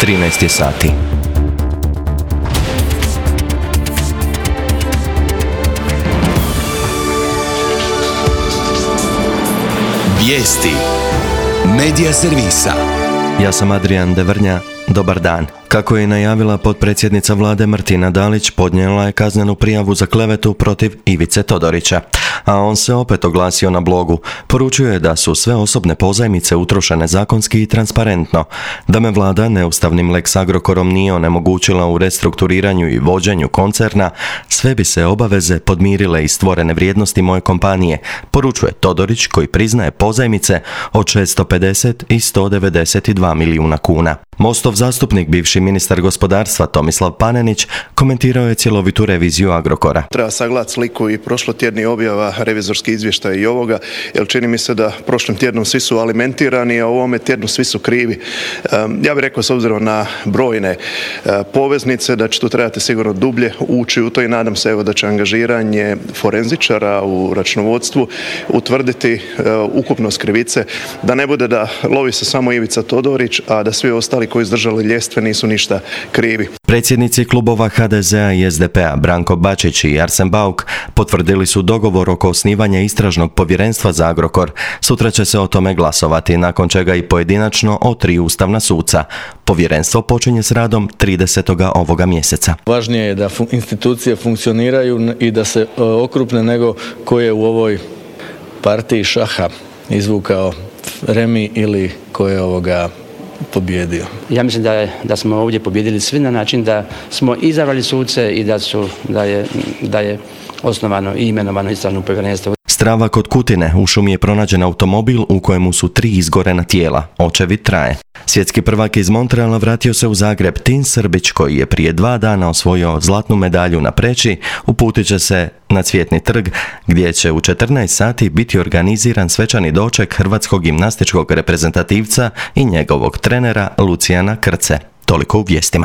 13 je sati. Vijesti Medija servisa. Ja sam Adrian Devrnja. Dobar dan. Kako je najavila potpredsjednica vlade Martina Dalić, podnijela je kaznenu prijavu za klevetu protiv Ivice Todorića. A on se opet oglasio na blogu. Poručuje da su sve osobne pozajmice utrošene zakonski i transparentno, da me vlada neustavnim Lex Agrokorom nije onemogućila u restrukturiranju i vođenju koncerna, sve bi se obaveze podmirile iz stvorene vrijednosti moje kompanije, poručuje Todorić, koji priznaje pozajmice od 650 i 192 milijuna kuna. Mostov zastupnik, bivši ministar gospodarstva Tomislav Panenić, komentirao je cjelovitu reviziju Agrokora. Treba sagledati sliku i prošlotjedni objava revizorski izvještaj i ovoga, jer čini mi se da prošlim tjednom svi su alimentirani, a u ovome tjednu svi su krivi. Ja bih rekao, s obzirom na brojne poveznice, da će tu trebati sigurno dublje ući u to i nadam se da će angažiranje forenzičara u računovodstvu utvrditi ukupnost krivice, da ne bude da lovi se samo Ivica Todorić, a da svi ostali koji izdržali ljestve nisu ništa krivi. Predsjednici klubova HDZ-a i SDP-a Branko Bačić i Arsen Bauk potvrdili su dogovor oko osnivanja istražnog povjerenstva za Agrokor. Sutra će se o tome glasovati, nakon čega i pojedinačno o 3 ustavna suca. Povjerenstvo počinje s radom 30. ovoga mjeseca. Važnije je da institucije funkcioniraju i da se okrupne nego ko je u ovoj partiji šaha izvukao remi ili ko je pobjedio. Ja mislim da smo ovdje pobjedili svi na način da smo izabrali suce i da je osnovano i imenovano istražno povjerenstvo. Strava kod Kutine, u šumi je pronađen automobil u kojemu su 3 izgorena tijela. Očevid traje. Svjetski prvak iz Montreala vratio se u Zagreb. Tin Srbić, koji je prije 2 dana osvojio zlatnu medalju na preći, uputit će se na Cvjetni trg, gdje će u 14 sati biti organiziran svečani doček hrvatskog gimnastičkog reprezentativca i njegovog trenera Lucijana Krce. Toliko u vijestima.